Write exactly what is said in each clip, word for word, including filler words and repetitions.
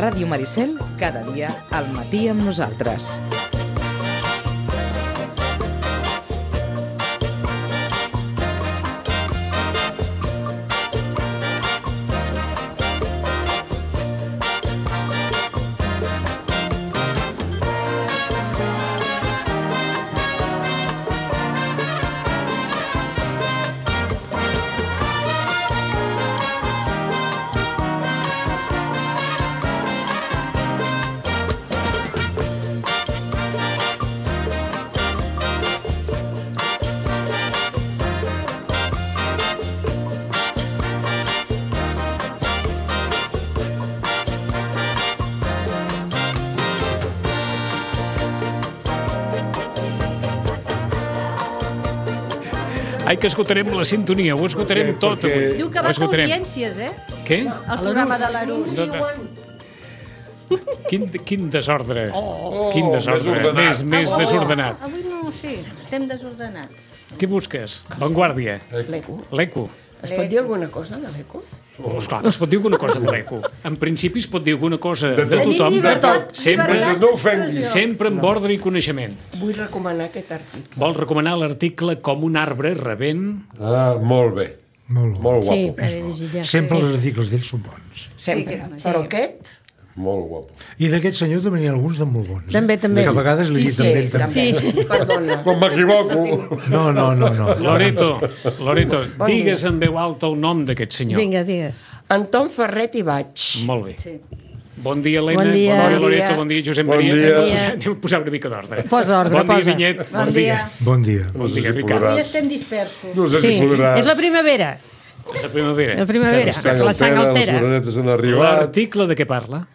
Ràdio Maricel, cada dia al matí amb nosaltres. Ai, que esgotarem la sintonia, ho esgotarem tot avui. Diu que va a audiències, eh? Què? El programa de l'Arús. Quin, quin desordre. Oh, quin desordre. desordenat. Més, més desordenat. Avui no, sí, estem desordenats. Què busques? Vanguardia. L'eco. L'eco. Es pot dir alguna cosa de l'eco? Oh, esclar, es pot dir alguna cosa de l'eco. En principi es pot dir alguna cosa de, De tot. tothom, Tenim llibertat, sempre, llibertat no ofenguis. d'expressió. sempre amb ordre i coneixement. Vull recomanar aquest article. Vol recomanar l'article Com un arbre rebent. Ah, molt bé. Molt bo. Molt Sí, guapo. per llegir ja. Sempre els articles d'ells són bons. Sempre. Sí, que- Però sí. aquest... Molt guapo. I d'aquest senyor també n'hi ha alguns de molt bons. Eh? També, també. Que a vegades li Sí, sí, també. sí, també. també. Perdona. Quan m'equivoco. No, no, no, no. Loreto, Loreto, Bon digues dia. en veu alta el nom d'aquest senyor. Vinga, digues. Anton Ferret i Baig. Molt bé. Sí. Bon dia, Helena. Bon dia. Bon dia, Bon Loreto. dia. Bon dia, Josep Bon Maria. dia. Anem a posar- Anem a posar una mica d'ordre. Posa ordre, Bon dia, posa. Vinyet. Bon dia. Bon dia. No sé dia, si Ricard. Avui podràs. estem dispersos. No sé Sí, si podràs. és la primavera. És la primavera. La primavera. Té respecte. La sang altera. Les orenetes han arribat. L'article de què parla?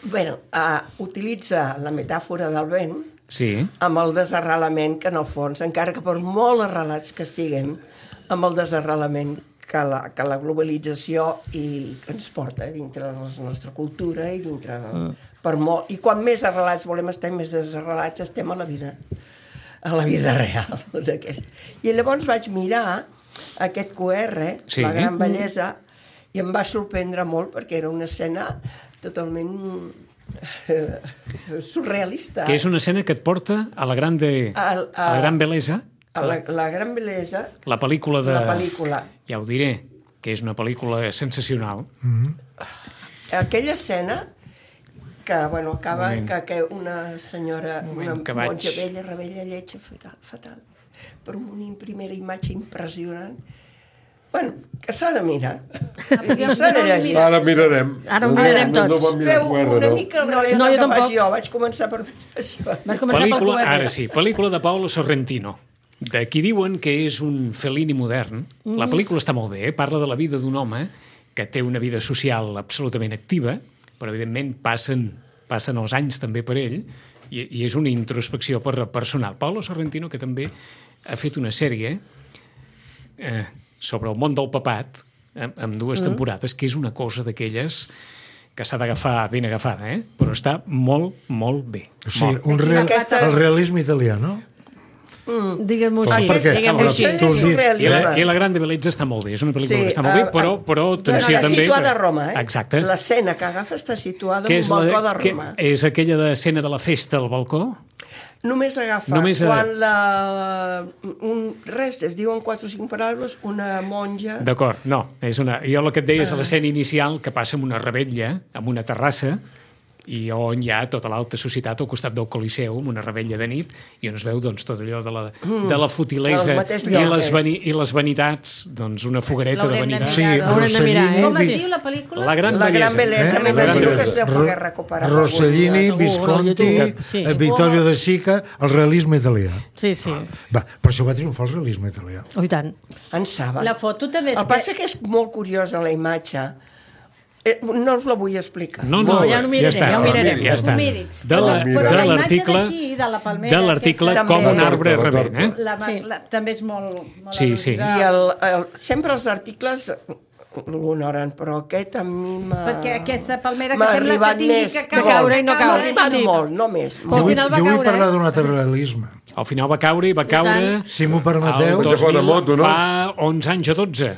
Bueno, uh, utilitza la metàfora del vent Sí. amb el desarrelament que, en el fons, encara que per molt arrelats que estiguem, amb el desarrelament que la, que la globalització i que ens porta dintre de la nostra cultura i dintre de, mm. per molt, i quan més arrelats volem estar, més desarrelats estem a la vida, a la vida real d'aquest. I llavors vaig mirar aquest Q R, Sí. La gran bellesa, i em va sorprendre molt perquè era una escena totalment eh, surrealista. Que és una escena que et porta a la gran, de, Al- a la a- gran bellesa, A la, la gran bellesa, la pel·lícula de... la pel·lícula. Ja ho diré, que és una pel·lícula sensacional. Aquella escena que, bueno, acaba Moment. que, que una senyora, Moment, una que vaig- monja vella, rebella, lletja, fatal, fatal, per una primera imatge impressionant. Bueno, que s'ha de mirar. I s'ha de llegir. Ara mirarem. Ara ho mirarem No, no tots. vam mirar Feu Q R, una no? mica al revés No, del jo que faig tampoc. jo. Vaig començar per això. Vas començar Pel·lícula, pel Q R. ara sí, pel·lícula de Paolo Sorrentino. De qui diuen que és un Fellini modern. La pel·lícula està molt bé, eh? Parla de la vida d'un home que té una vida social absolutament activa, però evidentment passen, passen els anys també per ell, i, i és una introspecció per, personal. Paolo Sorrentino, que també ha fet una sèrie eh, sobre el món del papat, amb, amb dues mm. temporades, que és una cosa d'aquelles que s'ha d'agafar ben agafada, eh? Però està molt, molt bé. O sigui, Molt. un real, Aquesta- el realisme italià, no? Digue'm-ho així. Per què? Digue'm-ho Però així. Això tu és has dit- I la, surrealisme. I la Gran de Bellezza està molt bé, és una pel·lícula Sí, que està molt bé, eh, però, però atenció Està també... situada a Roma, eh? Exacte. L'escena que agafa està situada Que en és, un balcó la, de que Roma. és aquella de escena de la festa al balcó? Només agafa Només a- quan la... Un, res, es diuen quatre o cinc paraules, una monja... D'acord, no. És una, jo el que et deia és l'escena inicial que passa en una rebetlla, en una terrassa, i on hi ha tota l'alta societat al costat del Coliseu, amb una rebetlla de nit, i on es veu doncs, tot allò de la, de la futilesa Al mateix i lloc les, és. vani, i les vanitats, doncs una foguereta de L'haurem de vanitats. Sí, mirar, Haurem de mirar, eh? Com es Rossellini, diu la pel·lícula? La Gran La gran Bellesa. bellesa, Eh? m'imagino La que gran es deu poder recuperar. Rossellini, algun dia, segur. Visconti, YouTube, sí. eh, Vittorio de Sica, el realisme italià. Sí, sí. Va, per això va triomfar el realisme italià. Oh, i tant. En saben. La foto també és... El que passa que és molt curiosa la imatge. Eh, no us la vull explicar. No, no, No, ja ho miraré, està, ja ho mirarem. Ja està. Ho miri. De la- Però- però de la imatge l'article d'aquí, de la palmera, de l'article aquesta Com un també- arbre La torta, la rebent, eh? La, sí. la, també és molt... molt Sí, sí. al·lusiva. I el, el, sempre els articles l'honoren, però aquest a mi m'ha... Perquè aquesta palmera que m'ha sembla que arribat tingui més, que no, caure i no m'ha caure. arribat Sí. molt, no més. Però al Jo vull, final va jo vull caure, parlar eh? d'un altre realisme. Al final va caure i va caure... tant. Si m'ho permeteu. el Vaig a fer una dos mil, moto, no? fa onze anys o dotze.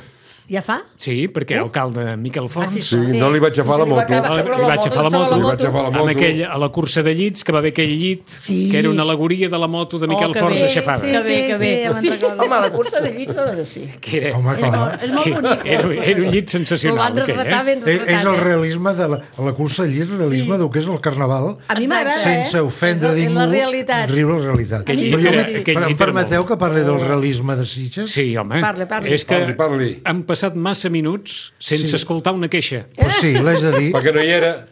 Ja fa? Sí, perquè era alcalde Miquel Fons. Ah, sí, Sí, Sí. no li vaig agafar la Sí, li va moto. acabar Li, sobre li la vaig moto, agafar la sobre moto. la Li vaig agafar la moto. Amb aquell, a la cursa de llits, que va haver aquell llit, Sí. que era una alegoria de la moto de Miquel que Fons bé. aixafada. Sí, Que bé, sí, que bé. sí, ja me'n Sí. recordo. Home, la cursa de llits no ha de ser. Que era, Home, És clar. molt, és molt bonic. era, era un llit Ho sensacional. van aquell, retratar eh? ben És, és retratat. el eh? realisme de la, la cursa allí, és el realisme sí. del que és el carnaval, A mi m'agrada, sense eh? ofendre És la- és ningú, la realitat. riure la realitat. Aquell Però llit jo- era- però aquell em llit era permeteu molt. que parli del realisme de Sitges? Sí, home. Parli, parli. És que Parli, parli. han passat massa minuts sense Sí. escoltar una queixa. Pues sí, l'haig de dir. Perquè no hi era.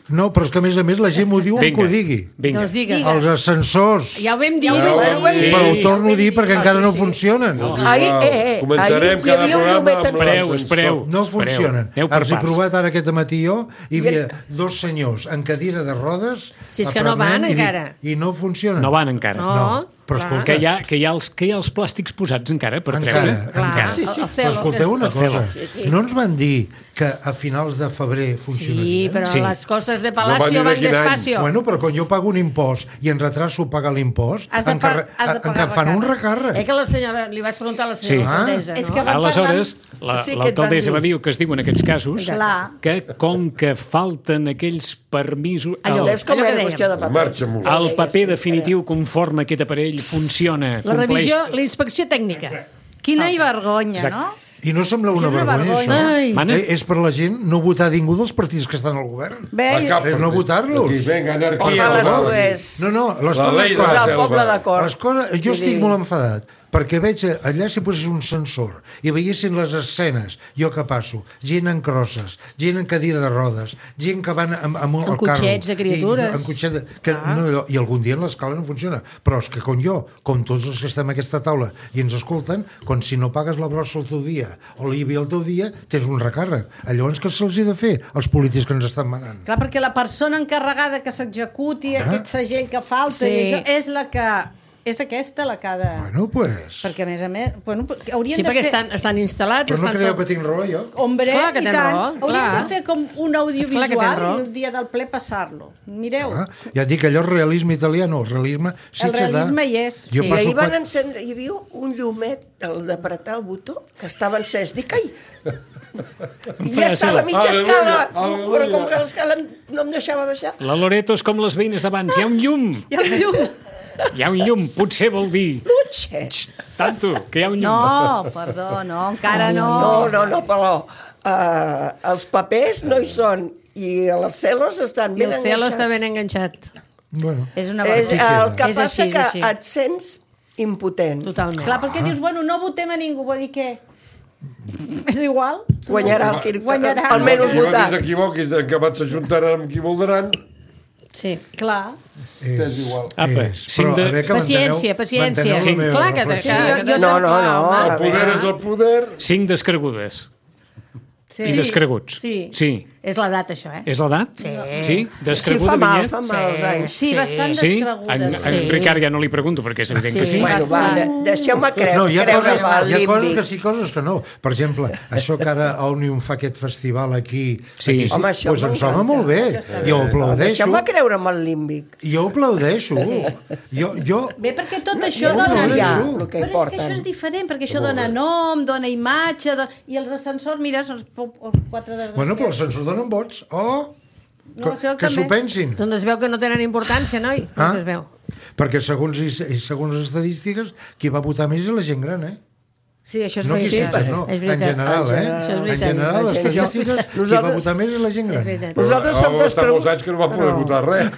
No, però és que a més a més la gent m'ho diu que ho digui. vinga. Doncs digue. Els ascensors. Ja ho vam dir. Ja ho vam dir. Sí. Però ho torno a dir perquè Ah, encara sí, no sí. funcionen. No, Ahir, eh, eh, Començarem ahir hi cada havia un programa llumeta amb Espereu, l'ascensor. espereu. no Espereu. funcionen. Aneu per Els he parts. provat ara aquest matí jo, hi I havia el- dos senyors en cadira de rodes Si és que no van aprenent i dic, encara. I no funcionen. No van encara. No. No, però clar. escolta, Que hi, ha, que, hi ha els, que hi ha els plàstics posats encara per Encara, treure. Clar, Encara. Sí, sí. el però celo. escolteu una El celo. cosa. Sí, sí. No ens van dir que a finals de febrer Sí, funcionarien? però Sí. les coses de No van Palacio dir de van quin any. despacio. Bueno, però quan jo pago un impost i en retraso pagar l'impost, Has de em, pa- carre- has de em pagar fan un recàrrec. recàrrec. Eh, que la senyora, li vaig preguntar a la Sí. senyora Ah. alcaldessa, És no? que van Aleshores, la- Sí, que et l'alcaldessa van va dir. dir que es diu en aquests casos Clar. que com que falten aquells permisos... Allò. El, Veus com Allò que era dèiem. qüestió de papers? Marxa amunt. el paper definitiu conforme aquest aparell funciona, La compleix... revisió, la inspecció tècnica. Quina vergonya, Exacte. no? I no sembla una Quina vergonya, vergonya. això. Ai. Mana? Eh, és per la gent no votar ningú dels partits que estan al govern. Bé, A cap És no partit. votar-los. Aquí, Vinga, anarquia. Home, les va. dues. No, no, les La coses ley de clares. la Posar el selva. poble d'acord. Les coses, jo Vull estic dir- molt enfadat perquè veig allà si posés un sensor i veiessin les escenes, jo que passo, gent en crosses, gent en cadira de rodes, gent que van amb, amb, Amb el cotxets de criatures. I, amb cotxets de, que, no, allò, I algun dia l'escala no funciona. Però és que com jo, com tots els que estem a aquesta taula i ens escolten, quan si no pagues la brossa el teu dia o l'I B I el teu dia, tens un recàrrec. Llavors què se'ls ha de fer als polítics que ens estan manant? clar, perquè la persona encarregada que s'executi aquest segell que falta, Sí. i això, és la que... És aquesta la que ha de... Bueno, pues... Perquè, a més a més, bueno, haurien Sí, de perquè fer... estan, estan instal·lats, Però no estan creieu tot... que tinc raó, jo? Hombre, Clar que i tens tant. raó, Haurien clar. de fer com un Esclar que audiovisual tens raó. i el dia del ple passar-lo. Mireu, Ah, ja et dic, allò és realisme italià, no, realisme el realisme hi és. Jo I passo ahir van qua- encendre, hi havia un llumet, el d'apretar el botó, que estava encès. Dic, ai! I ja estava a mitja Aleluia, escala, aleluia. però com que l'escala no em deixava baixar. La Loreto és com les veïnes d'abans. Hi ha un llum! Hi ha un llum. Hi ha un llum. Potser vol dir... Lutxe! Tanto, que hi ha un llum. No, perdó, no, encara no. No, no, no, però uh, els papers no hi són i els celos estan I ben el celo enganxats. està ben enganxat. Bueno, És una És, vergonya. el que És passa així, és que així. et sents impotent. Totalment. Clar, perquè dius, bueno, no votem a ningú, bueno, i què? És igual? Guanyarà el qui Guanyarà. almenys Qui votar. s'equivoquis, que vaig s'ajuntaran amb qui voldran, Sí. Clar. és igual. Apa, és. cinc Però, de... a veure, que Paciència, manteneu- paciència. manteneu la Sí, meva clar que- reflexió. que- Jo, jo No, no, tampoc, no, home. a El poder és el poder. Cinc descregudes. Sí. I descreguts. Sí. Sí. És l'edat, això, eh? És l'edat? Sí. Sí? Sí, Descreguda, fa mal, Vinyet? fa mal els anys. Sí, bastant Sí? descregudes. En, en Sí. Ricard ja no li pregunto, perquè és evident que sí. Sí. Bueno, va, de, deixeu-me creure, No, hi ha, creure coses, amb el hi ha coses límbic. que sí, coses que no. Per exemple, això que ara Òmnium fa aquest festival aquí, Sí. aquí Home, això pues em m'encanta. sona molt bé. Jo ho aplaudeixo. Deixeu-me creure amb el límbic. Jo ho aplaudeixo. Jo, jo, Bé, perquè tot això no, dona... no, ja, no. el que Però és que porten. això és diferent, perquè això dona nom, dona imatge, do... i els ascensors, mira, són els, po- els quatre desgraciats. Bueno, però els se'ns donen vots. Oh, No, que, això que s'ho també. pensin. Doncs es veu que no tenen importància, noi. Ah? Ah? Es veu. Perquè segons, i, i segons les estadístiques, qui va votar més és la gent gran, eh? Sí, això és No qui veritat. sí, no. És En veritat. general, En eh? general. Això és En veritat. general, les En general. estadístiques, qui va Nosaltres- votar més és la gent És gran. veritat. Nosaltres som Però dos fa molts creguts. anys que no va poder però- votar res.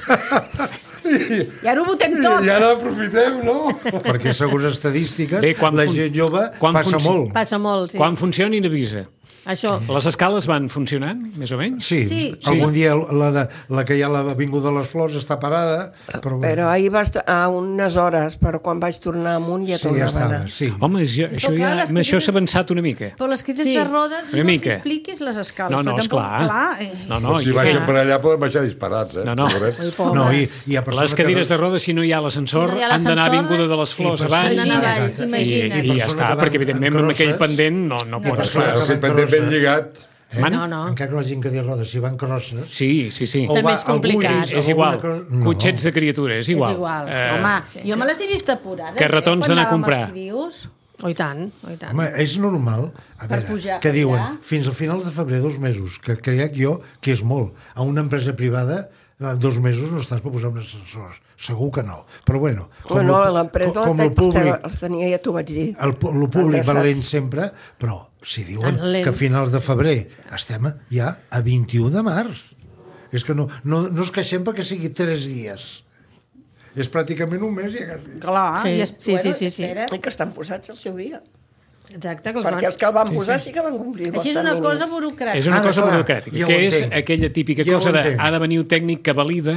I ara ho votem tot. I ara aprofitem, no? Perquè segons estadístiques, Bé, quan la fun- gent jove quan passa funci- molt. Passa molt, sí. Quan funcionin, avisa. Això. Les escales van funcionant, més o menys? Sí, Sí. algun dia la, de, la que hi ha a l'Avinguda de les Flors està parada, però, Però ahir va estar a unes hores, però quan vaig tornar amunt ja sí, ja tornava a estava, anar. sí. Home, jo, això clar, ja, les amb això cadires- s'ha avançat una mica. Però les crides Sí. de rodes Una no mica. t'expliquis les escales. No, no, però tampoc- esclar. Clar, eh. No, no, Però si i baixen aquell- per allà poden baixar disparats, eh? No, no. Pobrets. No, i, i hi ha persones les cadires que... de rodes, si no hi ha l'ascensor, Si no hi ha han d'anar a l'ascensor, Avinguda de les Flors i abans. persones- Imagina't, Exacte. I, imagina't. i ja persones està, que van perquè evidentment en amb aquell crosses- pendent no, no pots... persones Clar. que Si van pendent ben crosses. lligat. Mana? No, no. Encara que no hagin cadires de rodes, si van crosses... Sí, sí, sí. o També va és complicat. algú És alguna igual. cosa- No. Cotxets de criatura, és igual. igual, sí. Eh, Home, jo me les he vist apurades. carretons eh, quan d'anar a anàvem comprar. als crios. Oh, i tant, oh, i tant. Home, és normal, a veure, pujar que diuen, allà. fins al final de febrer, dos mesos, que crec jo que és molt. A una empresa privada, eh, dos mesos no estàs per posar un ascensor. Segur que no. Però bueno... Com no, lo- l'empresa com la el públic, els tenia, ja t'ho vaig dir. el, pu- el públic va Endreçats. lent sempre, però si diuen Tan lent. que a finals de febrer estem ja a vint-i-u de març. És que no, no, no es queixem perquè sigui tres dies. És pràcticament un mes i ja... Clar, Sí, i es, sí, bueno, sí, sí, sí. espera. I que estan posats al seu dia. Exacte, que els Perquè van... els que el van posar sí que van complir els Així és una terminis. cosa burocràtica. És una Ara, cosa clar, burocràtica, ja ho que és entenc. aquella típica Ja ho cosa de entenc. ha de venir un tècnic que valida,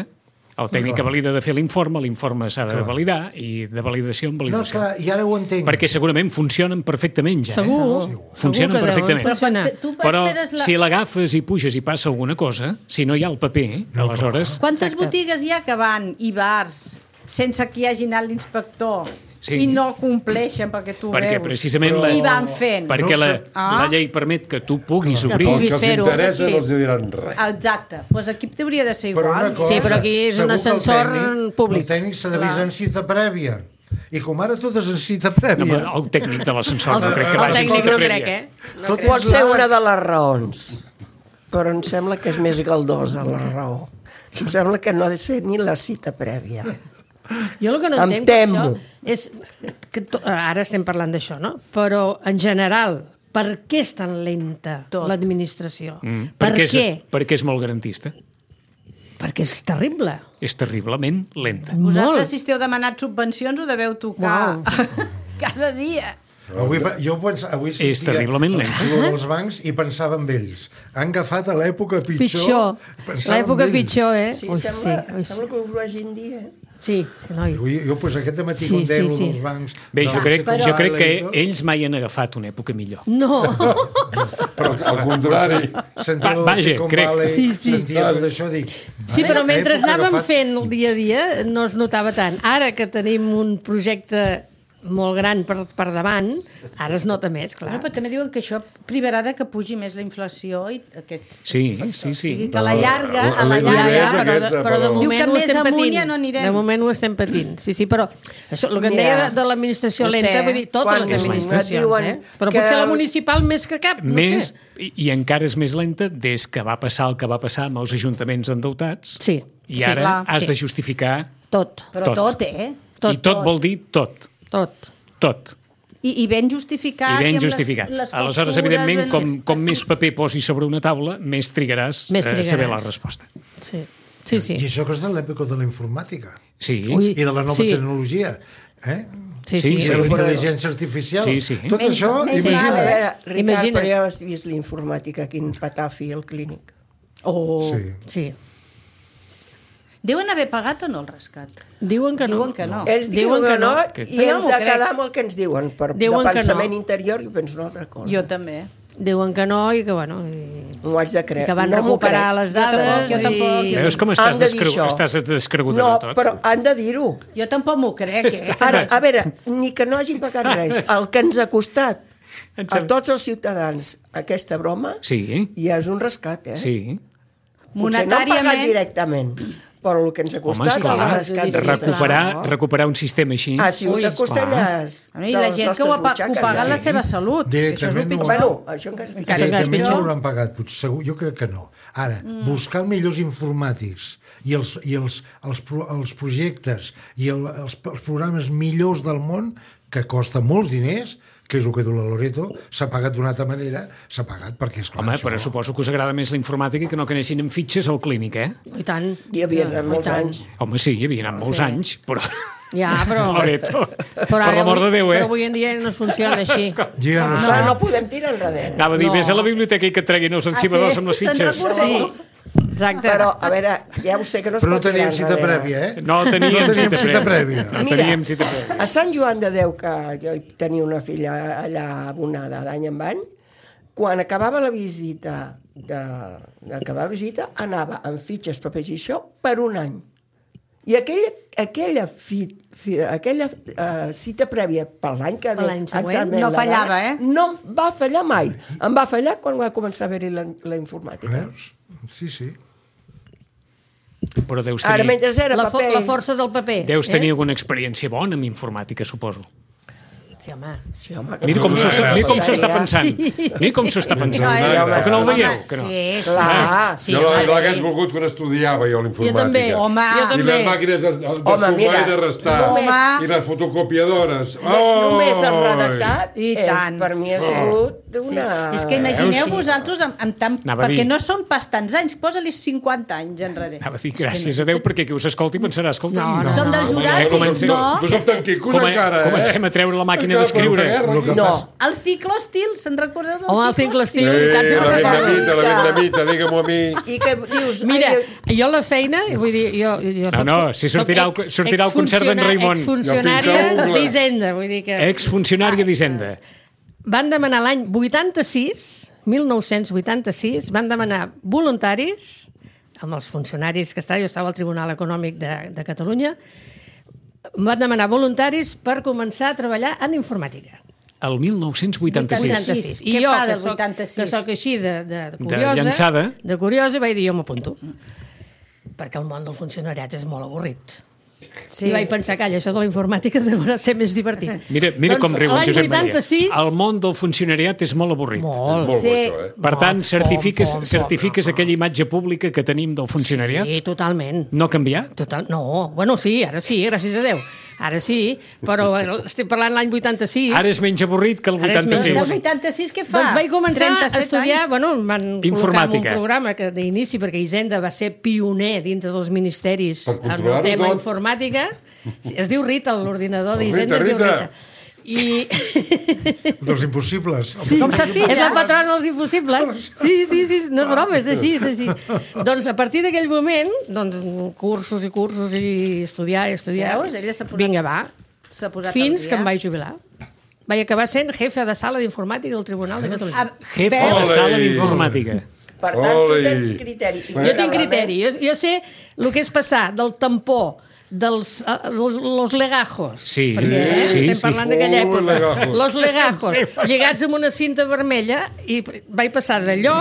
el tècnic que valida de fer l'informe, l'informe s'ha de Clar. validar, i de validació en No, validació. clar, i ara ho entenc. Perquè segurament funcionen perfectament ja. Segur, Eh? segur Funcionen que deuen perfectament. Però quan funcionar. te- tu Però esperes la... si l'agafes i puges i passa alguna cosa, si no hi ha el paper, No, aleshores... Quantes Exacte. botigues hi ha que van i bars sense que hi hagi anat l'inspector Sí. i no compleixen perquè tu Perquè veus? precisament la, I van fent. perquè No la, sé. Ah. la llei permet que tu puguis Que obrir. El puguis que els fer-ho. interessa Sí. no els diran res. Exacte. Doncs aquí hauria de ser Però igual. una cosa, Sí, però aquí és un segur que el ascensor tècnic- públic. El tècnic s'ha d'avisar en cita prèvia. I com ara tot és en cita No, prèvia. però el tècnic de l'ascensor El, no crec que el vagi en tècnic cita no prèvia. crec, eh? No Tot crec. Pot ser la- una de les raons, però em sembla que és més galdosa la raó. Em sembla que no ha de ser ni la cita prèvia. Jo el que no Em entenc per temo. això és que to, ara estem parlant d'això, no? Però en general, per què és tan lenta Tot. l'administració? Mm, Per perquè, és, què? perquè és molt garantista. Perquè és terrible. És terriblement lenta. Vosaltres, Molt. si esteu demanat subvencions, ho deveu tocar Uau. cada dia. Avui, pa- jo pens, avui És terriblement lent. el dels bancs i pensava en ells. Han agafat a l'època pitjor. Pitjor. pensava en L'època ells. pitjor, eh? Sí, Ui, sembla, ui, sembla que ho hagin dit, eh? Sí, sí, noi. Avui, jo, pues, aquest matí, Sí, quan deia sí, sí, sí. dels bancs... Bé, de jo la crec, Silicon jo crec que Valley i tot, ells mai han agafat una època millor. No. Però al contrari. sentia Va- el vaja, Silicon crec. Valley, Sí, sí. sentia tot això, dic... Sí, "Ai, però a mentre època anàvem agafat- fent el dia a dia no es notava tant. Ara que tenim un projecte molt gran per, per davant, ara es nota més, clar. Bueno, però també diuen que això privarà de que pugi més la inflació i aquest... Sí, sí, O sigui, sí. que a la llarga, a la L'idea Ja, és ja, llarga... però, de, aquesta, però de però- moment Diu que ho més estem amunt patint. ja no anirem. De moment ho estem patint. Sí, sí, però això, el que em Mira, deia de, de l'administració ho sé. lenta, vull dir, totes Quan les et administracions, diuen eh? Però que potser la el- municipal més que cap, no Més, sé. i, i encara és més lenta des que va passar el que va passar amb els ajuntaments endeutats. Sí, I sí, ara clar, has sí. de justificar Tot, Però tot. tot, eh? tot, I tot vol dir tot. tot. Tot. I, i ben justificat. I ben amb les- justificat. les Aleshores, factures, evidentment, ben- com, com més paper posis sobre una taula, més trigaràs, Més a trigaràs. saber la resposta. Sí, sí, sí. I això que és de l'època de la informàtica Sí, Ui. i de la nova Sí. tecnologia. Eh? Sí, Sí, sí. I sí. de la intel·ligència artificial. Sí, sí. Tot Menys- això, menys A imagina't. mal, veure, Ricard, Imagina. però ja has vist l'informàtica, quin patafi al clínic. Oh. Sí. Sí. Deuen haver pagat o no el rescat? Diuen que no. Diuen que no. Ells diuen que no, Que- i Jo no hem m'ho de crec. quedar amb el que ens diuen. Per, Diuen de que pensament no. interior, jo penso una altra cosa. Jo també. Diuen que no i que, bueno... I... M'ho haig de I creure. que van no m'ho recuperar crec. les dades Jo tampoc, i... jo Veus com Han estàs, de dir descreu... això. estàs descreguda No, de tot? però han de dir-ho. Jo tampoc m'ho crec, eh? Ara, a veure, ni que no hagin pagat res. El que ens ha costat Em a sembla- tots els ciutadans aquesta broma Sí, ja és un rescat, eh? sí. Potser no han pagat Monetàriament- directament, però el que ens ha Home, costat esclar, el rescat. sí, sí, recuperar, clar. recuperar un sistema així. Ha sigut Ui, a costelles I la gent que ho ha, pa- que ho paga la sí. seva salut. que Això és el Directament no. pitjor. Bueno, això encara és Encara pitjor. és més Directament no pitjor. l'hauran pagat, potser, segur, jo crec que no. Ara, mm. buscar millors informàtics i els, i els, els, pro, els projectes i el, els, els programes millors del món, que costa molts diners, que és el que diu la Loreto, s'ha pagat d'una altra manera, s'ha pagat perquè, esclar, Home, això... però suposo que us agrada més la informàtica que no que anessin amb fitxes al clínic, eh? I tant. Hi havia I molts tant. anys. Home, sí, hi havia anat molts Sí. anys, però... Ja, però... Loreto, Però, per ara l'amor de avui- Déu, eh? Però avui en dia no es funciona així. Jo ja no, No, sé. no podem tirar enrere. Anava a dir, No. vés a la biblioteca i que et treguin els arxivadors sí? amb les Se'n fitxes. recordeu? Sí, exacte. Però, a veure, ja ho sé que no es Però no pot tirar teníem cita enrere. prèvia, eh? No teníem, No teníem cita, cita prèvia. prèvia. No Mira, teníem cita prèvia. A Sant Joan de Déu, que jo hi tenia una filla allà abonada d'any en any, quan acabava la visita, de, d'acabar la visita, anava amb fitxes, papers i això per un any. I aquella, aquella, fi, fi, aquella uh, cita prèvia per l'any que Per l'any següent, exactament, no la fallava, dada, eh? No va fallar mai. Em va fallar quan va començar a haver-hi la, la informàtica. Veus? Sí, sí. Però deus Ara, tenir, mentre era La, fo paper... la força del paper. deus eh? tenir alguna experiència bona amb informàtica, suposo. Sí, home. Sí, home, Mira com s'ho està- mira com s'ho està pensant. Mira com s'ho està pensant. Ai, Però home, que no el home, veieu? Que no. Sí, sí. Clar. Sí, jo home, l'hagués sí. volgut quan estudiava jo l'informàtica. Jo també, Home. jo I també. les màquines de, de Home, sumar mira, i de restar. Home. I les fotocopiadores. No, només el redactat I és, tant. per mi ha sigut una... És que imagineu sí. vosaltres amb, amb tant... Anava a Perquè dir. no són pas tants anys, posa-li cinquanta anys enrere. Anava a dir, gràcies a Déu, perquè qui us escolti pensarà, escolta... No, no. Som del Que Juràssic, comencem- no? No som tan quicos Come- encara, eh? Comencem a treure la màquina Encara d'escriure. podem fer guerra, Lo que aquí. No, El ciclostil, se'n recordeu del Home, el ciclostil, i tant Sí, se me'n la recorda. vietnamita, la vietnamita, digue-m'ho a mi. i que dius... Mira, ai, jo a la feina, vull dir, jo... jo No, no, si sortirà el- sortirà el concert d'en Raimon. Exfuncionària Jo pinta d'Hisenda, vull dir que... Exfuncionària d'Hisenda. Van demanar l'any vuitanta-sis, mil nou-cents vuitanta-sis, van demanar voluntaris, amb els funcionaris que estava, jo estava al Tribunal Econòmic de, de Catalunya, van demanar voluntaris per començar a treballar en informàtica. El mil nou-cents vuitanta-sis. vuitanta-sis. I Què jo, fa que del soc, vuitanta-sis? que soc així de, de, de curiosa, llançada. de curiosa, vaig dir, jo m'apunto. Perquè el món del funcionariat és molt avorrit. Sí. I vaig pensar, calla, això de la informàtica deu ser més divertit. Mira, mira Doncs, com riu en l'any Josep Maria. vuitanta-sis... El món del funcionariat és molt avorrit. Molt. Molt Sí. bo, això, eh? Per tant, certifiques, pom, pom, certifiques aquella imatge pública que tenim del funcionariat? Sí, totalment. No ha canviat? Total, no, bueno, sí, ara sí, gràcies a Déu. Ara sí, però estic parlant l'any vuitanta-sis. Ara és menys avorrit que el Ara és menys El vuitanta-sis. vuitanta-sis què fa? Doncs vaig començar a trenta-set estudiar, anys. bueno, em van col·locar en Informàtica. un programa que d'inici, perquè Hisenda va ser pioner dintre dels ministeris Per en el controlar-ho tema tot. informàtica. Es diu Rita, l'ordinador Rita, d'Hisenda es diu Rita. Rita. I Dels impossibles. sí, Com s'ha fet, és ja? la patrona dels impossibles. Sí, sí, sí, no és broma, és així, és així. Doncs a partir d'aquell moment, doncs, cursos i cursos i estudiar i estudiar. Veus? Ella s'ha posat- Vinga, va. S'ha posat Fins al que dia. em vaig jubilar. Vaig acabar sent jefe de sala d'informàtica del Tribunal de Catalunya. Ah, Jefe de veus? sala d'informàtica. per tant, tu Ole. tens criteri. I Jo tinc criteri. Jo, jo sé el que és passar del tampó dels uh, los, los legajos. Sí, perquè eh, sí, estem sí. parlant d'aquella Oh, època. legajos. Los legajos, lligats amb una cinta vermella, i vaig passar d'allò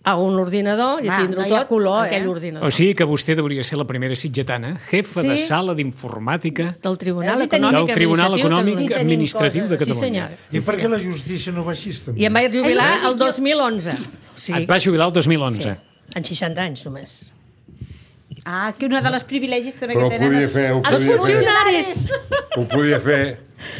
a un ordinador i a Ah, tindre no hi ha tot color, aquell eh? ordinador. O sigui que vostè hauria ser la primera sitgetana, jefa Sí. de sala d'informàtica Del Tribunal Veus? I tenim- Econòmic del Tribunal Administratiu Econòmic de Catalunya. Administratiu de coses. Sí, Catalunya. senyor. I per què la justícia no va així, també? I em vaig jubilar Ai, el dos mil onze. O sigui, Et va jubilar el dos mil sí, onze. en seixanta anys només. Ah, que una de les privilegis també Però que ho tenen... podia els- fer, ho Els podia fer. funcionaris! Ho podia fer.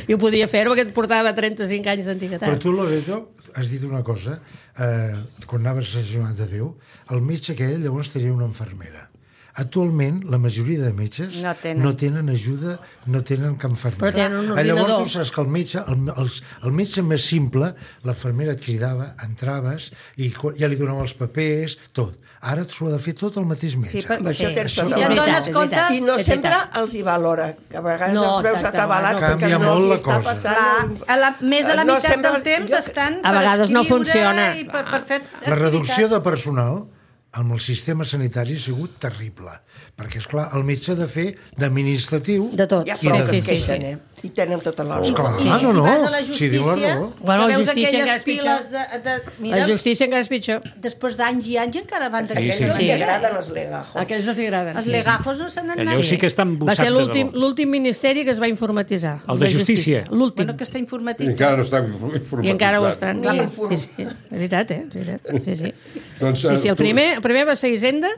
I ho podia fer perquè et portava trenta-cinc anys d'antiguitat. Però tu, Loreto, has dit una cosa. Eh, quan anaves a Sant de Déu, el metge aquell llavors tenia una infermera. Actualment, la majoria de metges No tenen. no tenen ajuda, no tenen cap infermera. Però tenen un Ah, Llavors, ordinador. tu saps que el metge, el, el, el metge més simple, l'infermera et cridava, entraves, i co- ja li donava els papers, tot. Ara s'ho ha de fer tot el mateix metge. Sí, per... Amb això Sí, tens sí, tota sí, la ja et raó. dones és compte... veritat. I no És sempre veritat. els hi valora, que a vegades No, els veus exacte, atabalats no. perquè Canvia no molt els la hi està cosa. passant. Clar, a la, més de la No meitat sempre del els- temps jo- estan A per vegades no escriure funciona. i per, per fer La reducció activitats. de personal amb el sistema sanitari ha sigut terrible, perquè, és clar el metge ha de fer d'administratiu... De tot. Hi ha I prou de- que es sí, queixen, sí. eh? I tenen tota la Oh, raó. clar, I no, si no, vas a la si diu la justícia, raó. Bueno, la que veus justícia encara aquelles és pitjor. piles de... de La mira, justícia encara és pitjor. després d'anys i anys encara van Aquells d'aquells. no sí. li agraden els legajos. Aquells els agraden. Els legajos no se n'han Allò anat. sí que està Va embussat ser de l'últim debò. l'últim ministeri que es va informatitzar. El de justícia. L'últim. Bueno, que està I informatiu. encara no està informatitzat. I encara ho estan. Ni Sí, inform- sí, és veritat, eh? És veritat. Sí, sí. Doncs, Sí, sí, el tu- primer, el primer va ser Hisenda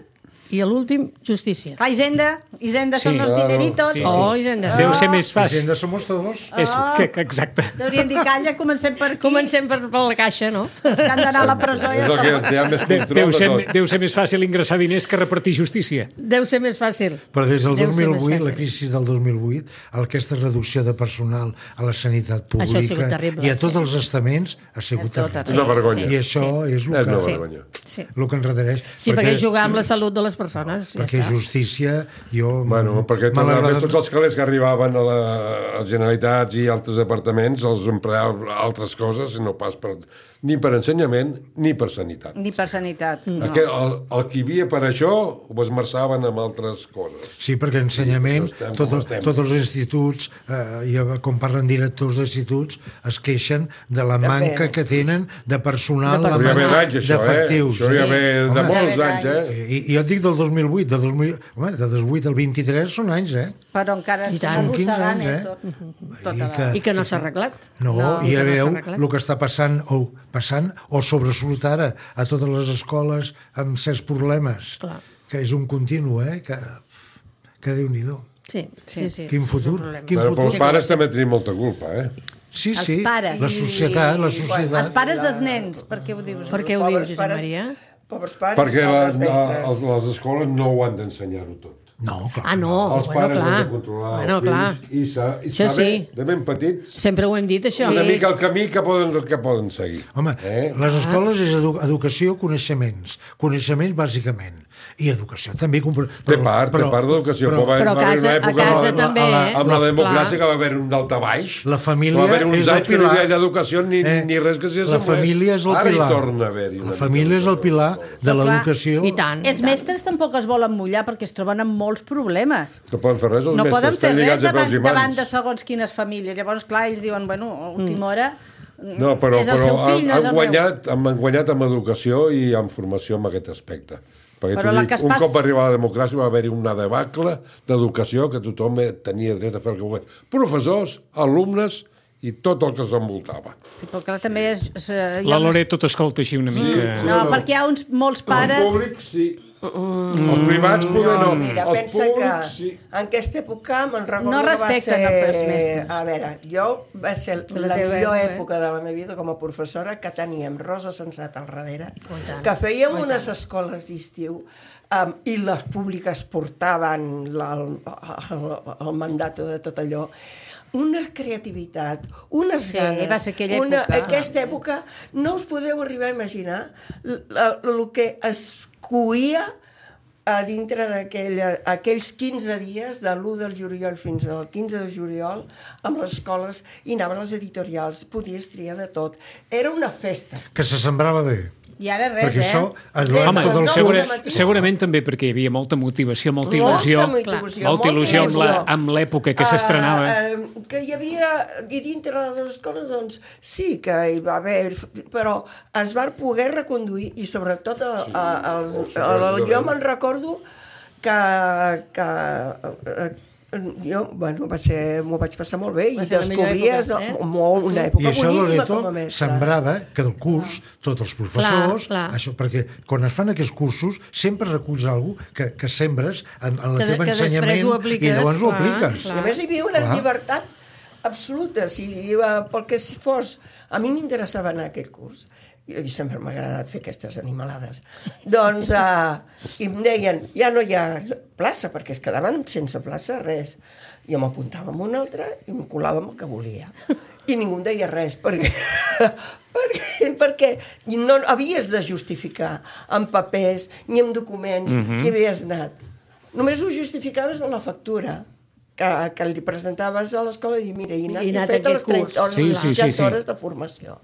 i l'últim Justícia. Clar, Hisenda, Hisenda són Sí. els Claro. dineritos. Sí, sí. Oh, Hisenda. Deu ser més fàcil. Hisenda somos todos. És, Ah. que, que, exacte. Deurien dir, calla, comencem per aquí. Comencem per, per la caixa, no? Els que han d'anar a la presó i És el que té més De, control deu, de ser, tot. deu ser més fàcil ingressar diners que repartir justícia. Deu ser més fàcil. Però des del Deu dos ser mil més vuit, la fàcil. crisi del dos mil vuit, aquesta reducció de personal a la sanitat Això ha pública sigut terrible, i a tots sí. els estaments ha sigut A tot terrible. Una vergonya. I això és el És que, una Sí. vergonya. Sí, el que ens redareix. sí perquè, perquè jugar amb la salut de les persones. Ja perquè està. justícia, jo... Bueno, perquè m'ha tot, a més, agradat- tots els calés que arribaven a la, als Generalitats i altres departaments els empleaven altres coses, no pas per, ni per ensenyament ni per sanitat. Ni per sanitat. Mm. No. Aquest, el, el que hi havia per això ho esmerçaven amb altres coses. Sí, perquè ensenyament, Sí, això estem tot, com estem. tots els instituts, eh, i com parlen directors d'instituts, es queixen de la manca que tenen de personal, De la Però ja ve manca d'anys, això, eh? d'efectius. Això ja Sí. ve de Home. molts Ja ve anys, eh? I, I jo et dic del dos mil vuit, de dos mil... Home, de dos mil vuit al vint-i-tres són anys, eh? Però encara I estem tant. arrossegant, quinze anys, eh? eh? Tot, tota I la... que- I que no s'ha arreglat. No, No, i ja que no s'ha veieu arreglat. el que està passant o passant o sobresurt ara a totes les escoles amb certs problemes, Clar. que és un continu, eh? Que, que Déu-n'hi-do. Sí, sí, sí. Quin futur, És un problema. quin Però futur. els pares també tenim molta culpa, eh? Sí, Els sí, pares. la societat, la Els societat. pares dels nens, per què ho dius? Per què ho Pobres dius, Josep pares- Maria? Pobres pares, Perquè pobres les, mestres. les, les escoles no ho han d'ensenyar-ho tot. No, clar. Ah, no, Els bueno, pares clar. han de controlar Bueno, els clar. fills i, sa, i Això saber, sí. de ben petits, Sempre ho hem dit, això. una mica el camí que poden, que poden seguir. Home, Eh? les escoles és edu educació, coneixements. Coneixements, bàsicament. I educació també. Però, Té part, té part d'educació. però- Però, va, Però a va haver casa- una a època casa amb la- també, amb la, eh? amb la La- democràcia clar. que va haver un daltabaix. La família va haver uns és el anys que no pilar. hi havia educació ni, Eh, ni res que s'hi La família és el Ara pilar. hi torna a haver-hi. una La família és mica el pilar de Però clar, l'educació. I tant. Els mestres tampoc es volen mullar perquè es troben amb molts problemes. No poden fer res, els No mestres. poden fer estan res lligats de davant, peus i mans. davant de segons quines famílies. Llavors, clar, ells diuen, bueno, a última hora No, però, és el però seu han, fill, no és han, el meu. guanyat, han guanyat amb educació i amb formació en aquest aspecte. Perquè Però t'ho la dic, que es un pas- cop arriba la democràcia va haver-hi una debacle d'educació que tothom tenia dret a fer el que volgués. Professors, alumnes i tot el que s'envoltava. Sí, però clar, també és... és eh, hi ha La unes- Loret tot escolta així una mica... No, perquè hi ha uns, molts pares... Els públics, sí. Els privats, poder no. Mira, Els pensa públics, que sí. en aquesta època me'n recordo No que va respecten ser... els mestres. A veure, jo va ser la la teva millor època, eh? època de la meva vida com a professora, que teníem Rosa Sensat al darrere, Oh, i tant. que fèiem Oh, i unes tant. escoles d'estiu um, i les públiques portaven la, el, el, el mandat de tot allò, una creativitat, unes Sí, ganes, va ser aquella una, època. aquesta època, no us podeu arribar a imaginar el que es coïa a dintre d'aquells quinze dies, de l'u del juliol fins al quinze de juliol, amb les escoles, i anaven les editorials, podies triar de tot. Era una festa. Que se sembrava bé. I ara res, Perquè eh? això, Home, Home, tot el no, segura, no, no, segurament també perquè hi havia molta motivació, molta Molta il·lusió, motivació, molta il·lusió amb la- il·lusió. amb l'època que s'estrenava. Uh, uh, que hi havia, i dintre de les escoles, doncs, sí que hi va haver, però es van poder reconduir, i sobretot el, sí, els, els el, el, jo de- me'n recordo que, que uh, jo, bueno, va ser, m'ho vaig passar molt bé, Va i ser la millor descobries època, eh? molt, una I època això boníssima Loreto com a mestre. sembrava que del curs, tots els professors, Clar, clar. això, perquè quan es fan aquests cursos sempre reculls alguna cosa que, que sembres en, en el Que de- teu que després ensenyament ho apliques, i llavors ho clar, apliques. clar. I a més hi havia una Clar. llibertat absoluta. Si, uh, pel que si fos... A mi m'interessava anar a aquest curs. I, i sempre m'ha agradat fer aquestes animalades. Doncs, uh, i em deien, ja no hi ha plaça, perquè es quedaven sense plaça, res. Jo m'apuntava en una altra i em colava amb el que volia. I ningú em deia res, perquè, perquè, perquè no havies de justificar amb papers ni amb documents Mhm. que havies anat. Només ho justificaves en la factura que, que li presentaves a l'escola i dir, mira, he anat, I he he anat a fet les aquest trenta curs. hores, Sí, les sí, sí, seixanta sí. hores de formació.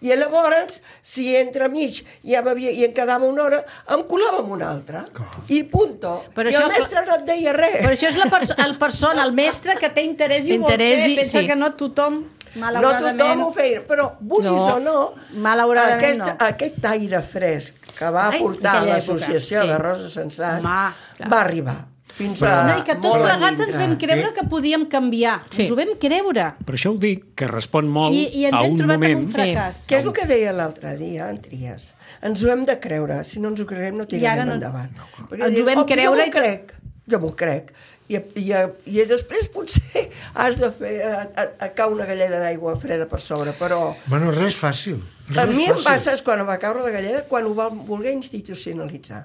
I llavors, si entre mig ja m'havia, i em quedava una hora, em colava amb una altra. I punto. Però I això- el mestre no et deia res. Però això és la perso el persona, el mestre que té interès i ho vol Interès fer. i- Pensa sí. que no tothom, No malauradament... tothom ho feia, però vulguis No, o no, malauradament aquest, no. aquest aire fresc que va Ai, portar aquella l'associació època, sí. de Rosa Sensat Home, va arribar fins a No, i que tots molt a plegats ens dintre. vam creure que podíem canviar. Sí. Ens ho vam creure. Per això ho dic, que respon molt I, i ens a hem un trobat moment... en un fracàs. Què és el que deia l'altre dia, en Trias? Ens ho hem de creure. Si no ens ho creiem, no I ara tirarem no- endavant. Perquè Ens ho diu, vam "Oh, creure jo i m'ho que- crec. Jo m'ho crec. I, i, I després potser has de fer a, a, a cau una galleda d'aigua freda per sobre, però Bueno, res fàcil. Res a mi em fàcil. passa és quan va caure la galleda, quan ho va voler institucionalitzar.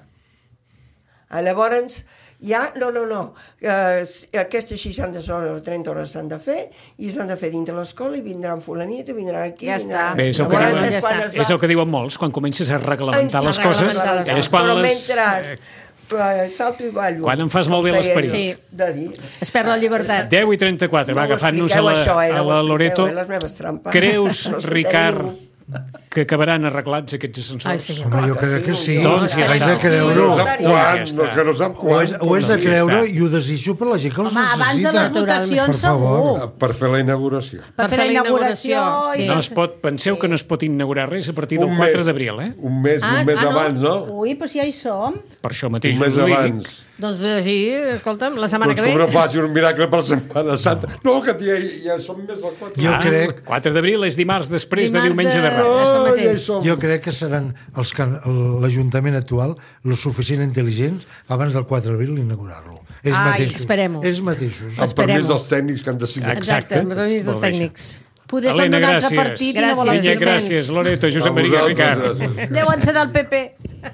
Ah, llavors, ja, no, no, no, eh, aquestes seixanta hores o trenta hores s'han de fer i s'han de fer dintre l'escola i vindran fulanito, vindran aquí... Ja vindran... està. Bé, és el, que Llavors diuen, és quan ja es és va- el que diuen molts, quan comences a reglamentar les Ens coses, reglamentar les és quan Però les... mentre eh, salto i ballo... Quan em fas molt bé com feia l'esperit. jo, de dir... Es perd la llibertat. deu i trenta-quatre, va, No ho agafant-nos a expliqueu, la, això, eh, no a ho la expliqueu, Loreto. eh, les meves trampes. Creus, No s'entén Ricard, ningú. que acabaran arreglats aquests ascensors? Ai, sí. Home, jo crec que sí. Doncs ja Haig està. de creure-ho. No sap quan, no, que no sap Ho quan. és, ho és de Ja creure està. i ho desitjo per la gent que els Home, abans de les necessita. votacions, Per favor. segur. Per fer la inauguració. Per fer la inauguració. sí. i- No es pot, penseu que no es pot inaugurar res a partir del Un quatre mes. d'abril, eh? Un mes, Ah, un mes ah, no? abans, no? Ui, però si ja hi som. Per això mateix Un mes us ho dic. abans. Doncs així, escolta'm, la setmana Doncs que com ve... no faci un miracle per Setmana Santa. No, que ja, ja som més del quatre. Jo Ah, crec- el quatre d'abril és dimarts després de Dimarts diumenge de, de- Reis. Això Oh, mateix. ja hi som. Jo crec que seran els que l'Ajuntament actual lo suficient intel·ligents abans del quatre d'abril inaugurar-lo. Ells Ai, mateixos. esperem-ho. Ells mateixos. Amb Esperem-ho. permís dels tècnics que han decidit. Exacte. amb els amics dels Molt bé, tècnics. Poder són Helena, d'un altre gràcies. partit i no volen Gràcies, Vinya, fer Vicenç. gràcies. Loreto, Josep A Maria vosaltres, Ricard. gràcies. Deuen ser del P P.